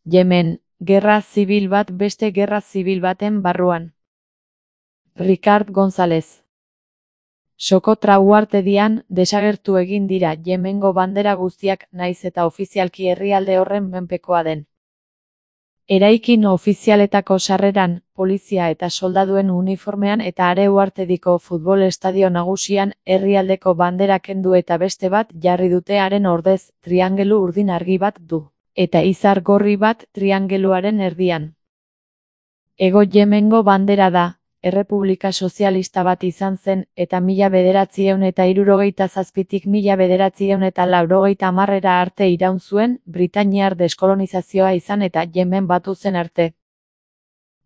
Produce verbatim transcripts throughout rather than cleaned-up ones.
Yemen, gerra zibil bat beste gerra zibil baten barruan. Ricard González. Sokotra uhartedian desagertu egin dira Yemengo bandera guztiak naiz eta ofizialki herrialde horren menpekoa den. Eraikin ofizialetako sarreran, polizia eta soldaduen uniformean eta are uhartediko futbol estadio nagusian herrialdeko bandera kendu eta beste bat jarri dute haren ordez, triangelu urdin argi bat du, eta izar gorri bat triangeluaren erdian. Hego Yemengo bandera da, errepublika sozialista bat izan zen eta mila bederatziehun eta hirurogeita zazpitik mila bederatziehun eta laurogeita hamarrera arte iraun zuen, britainiar deskolonizazioa izan eta Yemen batu zen arte.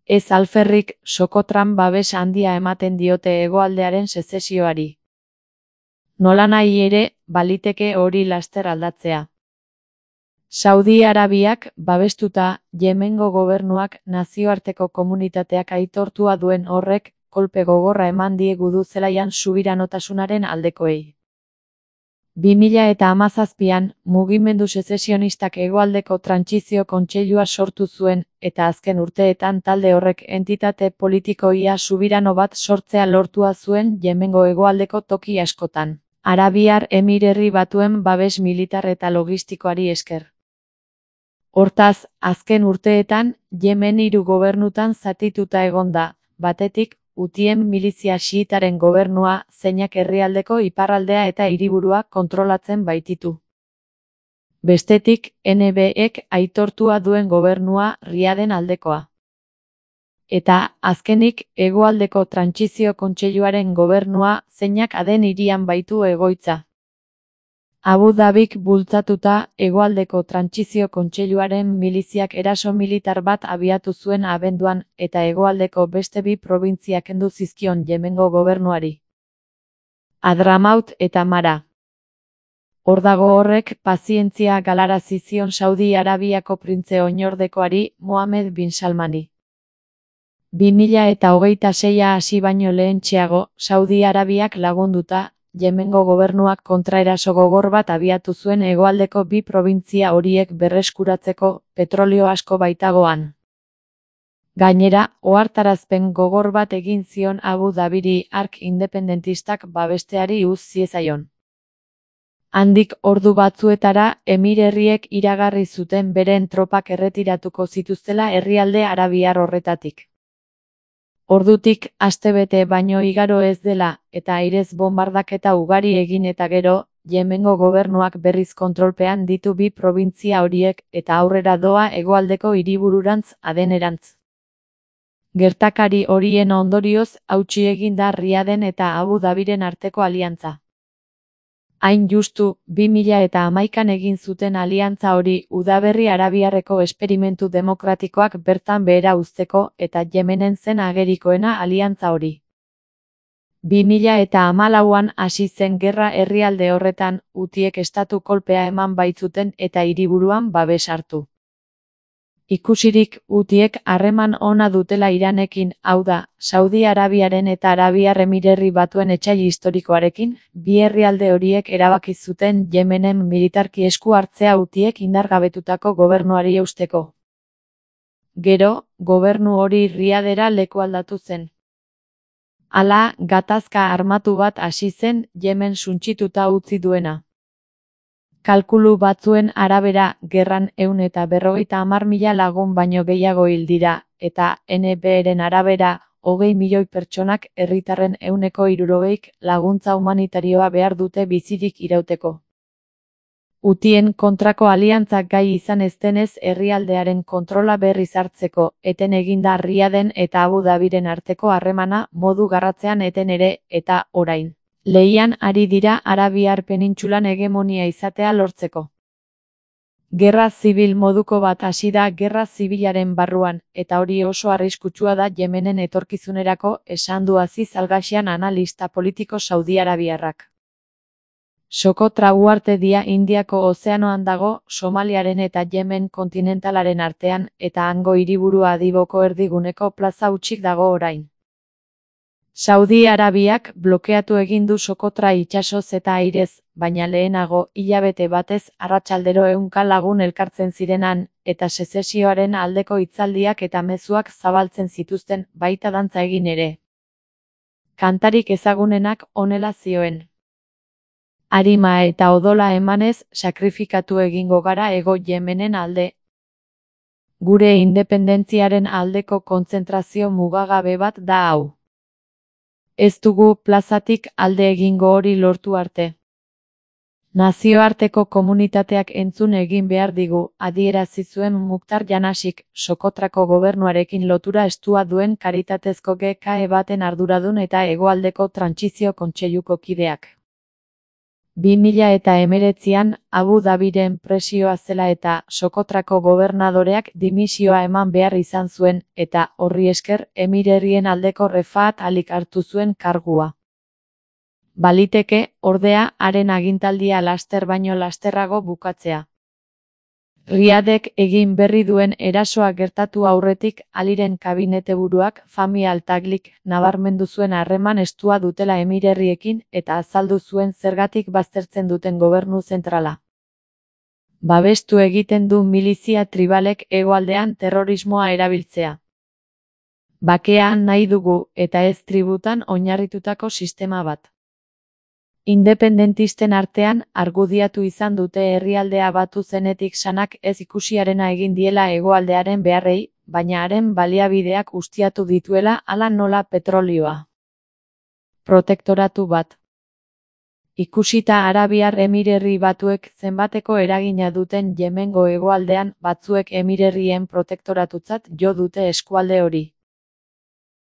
Ez alferrik, Sokotran babes handia ematen diote hegoaldearen sezesioari. Nolanahi ere, baliteke hori laster aldatzea. Saudi Arabiak, babestuta, Yemengo gobernuak nazioarteko komunitateak aitortua duen horrek, kolpe gogorra eman diegu du zelaian subiranotasunaren aldekoei. bi mila eta hamazazpian, mugimendu sezesionistak hegoaldeko trantsizio kontseilua sortu zuen, eta azken urteetan talde horrek entitate politiko ia subirano bat sortzea lortua zuen Yemengo hegoaldeko toki askotan, Arabiar Emirerri Batuen babes militar eta logistikoari esker. Hortaz, azken urteetan, Yemen hiru gobernutan zatituta egon da, batetik, Hutien milizia xiitaren gobernua, zeinak herrialdeko iparraldea eta hiriburua kontrolatzen baititu. Bestetik, N B ek aitortua duen gobernua, Riaden aldekoa. Eta, azkenik, hegoaldeko trantsizio kontseiluaren gobernua, zeinak Aden hirian baitu egoitza. Abu Dhabik bultzatuta, hegoaldeko trantsizio kontseiluaren miliziak eraso militar bat abiatu zuen abenduan, eta hegoaldeko beste bi probintziak kendu zizkion Yemengo gobernuari. Hadramaut eta Mara. Hor dago horrek pazientzia galarazi zion Saudi Arabiako printze oinordekoari, Mohammed bin Salmani. bi mila eta hogeita seia hasi baino lehentxeago, Saudi Arabiak lagunduta, Yemengo gobernuak kontraeraso gogor bat abiatu zuen hegoaldeko bi probintzia horiek berreskuratzeko, petrolio asko baitagoan. Gainera, ohartarazpen gogor bat egin zion Abu Dhabiri ark independentistak babesteari uz ziezaion. Handik ordu batzuetara, emirerriek iragarri zuten beren tropak erretiratuko zituztela herrialde arabiar horretatik. Ordutik, astebete baino igaro ez dela, eta airez bombardaketa ugari egin eta gero, Yemengo gobernuak berriz kontrolpean ditu bi probintzia horiek eta aurrera doa hegoaldeko hiribururantz Adenerantz. Gertakari horien ondorioz, hautsi egin da Riaden eta Abu Dhabiren arteko aliantza. Hain justu, bi mila eta hamaikan egin zuten aliantza hori udaberri arabiarreko esperimentu demokratikoak bertan behera uzteko eta Yemenen zen agerikoena aliantza hori. bi mila eta hamalauan hasi zen gerra herrialde horretan, Hutiek estatu kolpea eman baitzuten eta hiriburuan babes hartu. Ikusirik, Hutiek harreman ona dutela Iranekin, hau da, Saudi Arabiaren eta Arabiar Emirerri Batuen etsai historikoarekin, bi herrialde horiek erabaki zuten Yemenen militarki esku hartzea Hutiek indargabetutako gobernuari eusteko. Gero, gobernu hori Riadera lekualdatu zen. Hala, gatazka armatu bat hasi zen Yemen suntsituta utzi duena. Kalkulu batzuen arabera, gerran ehun eta berrogeita hamar mila lagun baino gehiago hil dira, eta N B eren arabera, hogei milioi pertsonak herritarren ehuneko hirurogeik laguntza humanitarioa behar dute bizirik irauteko. Hutien kontrako aliantzak gai izan ez denez herrialdearen kontrola berriz hartzeko, eten eginda Riaden eta Abu Dhabiren arteko harremana modu garratzean eten ere, eta orain. Lehian ari dira Arabiar penintsulan hegemonia izatea lortzeko. Gerra zibil moduko bat hasi da gerra zibilaren barruan, eta hori oso arriskutsua da Yemenen etorkizunerako, esan du Aziz Al-Gashyan analista politiko Saudi Arabiarrak. Sokotra uhartedia Indiako ozeanoan dago, Somaliaren eta Yemen kontinentalaren artean, eta hango hiriburua Adiboko erdiguneko plaza hutsik dago orain. Saudi Arabiak blokeatu egin du Sokotra itsasoz eta airez, baina lehenago, hilabete batez, arratsaldero ehunka lagun elkartzen zirenan, eta sezesioaren aldeko hitzaldiak eta mezuak zabaltzen zituzten, baita dantza egin ere. Kantarik ezagunenak honela zioen. Arima eta odola emanez, sakrifikatu egingo gara Hego Yemenen alde. Gure independentziaren aldeko kontzentrazio mugagabe bat da hau. Ez dugu plazatik alde egingo hori lortu arte. Nazioarteko komunitateak entzun egin behar digu, adierazi zuen Mukhtar Janashik, Sokotrako gobernuarekin lotura estua duen karitatezko G K E baten arduradun eta Hegoaldeko Trantsizio Kontseiluko kideak. bi mila eta hemeretzian, Abu Dhabiren presioa zela eta Sokotrako gobernadoreak dimisioa eman behar izan zuen, eta horri esker Emirerrien aldeko Refaat Alik hartu zuen kargua. Baliteke, ordea, haren agintaldia laster baino lasterrago bukatzea. Riadek egin berri duen erasoa gertatu aurretik Aliren kabineteburuak Fahmi Al-Taglik nabarmendu zuen harreman estua dutela Emirerriekin eta azaldu zuen zergatik baztertzen duten gobernu zentrala. Babestu egiten du milizia tribalek hegoaldean terrorismoa erabiltzea. Bakea nahi dugu eta ez tributan oinarritutako sistema bat. Independentisten artean, argudiatu izan dute herrialdea batu zenetik sanak ez ikusiarena egin diela hegoaldearen beharrei, baina haren baliabideak ustiatu dituela hala nola petrolioa. Protektoratu bat. Ikusita Arabiar Emirerri Batuek zenbateko eragina duten Yemengo hegoaldean, batzuek Emirerrien protektoratutzat jo dute eskualde hori.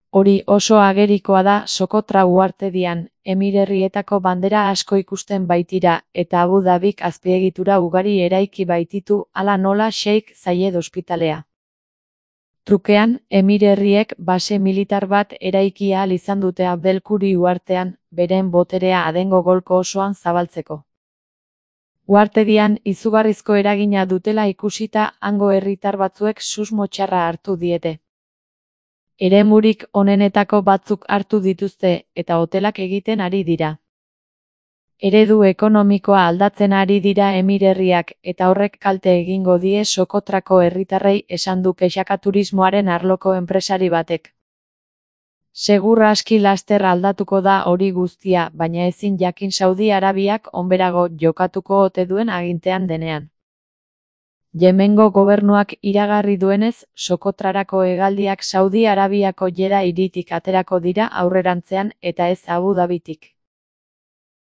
Hori oso agerikoa da Sokotra uhartedian, Emirerrietako bandera asko ikusten baitira, eta Abu Dhabik azpiegitura ugari eraiki baititu hala nola Sheikh Zayed ospitalea. Trukean, Emirerriek base militar bat eraiki ahal izan dute Abdelkuri uhartean, beren boterea Adengo golko osoan zabaltzeko. Uhartedian izugarrizko eragina dutela ikusita hango herritar batzuek susmo txarra hartu diete. Eremurik onenetako batzuk hartu dituzte eta hotelak egiten ari dira. Eredu ekonomikoa aldatzen ari dira Emirerriak eta horrek kalte egingo die Sokotrako herritarrei esan du kexaka turismoaren arloko enpresari batek. Segur aski laster aldatuko da hori guztia, baina ezin jakin Saudi Arabiak onberago jokatuko ote duen agintean denean. Yemengo gobernuak iragarri duenez, Sokotrarako hegaldiak Saudi Arabiako Jeddah hiritik aterako dira aurrerantzean eta ez Abu Dhabitik.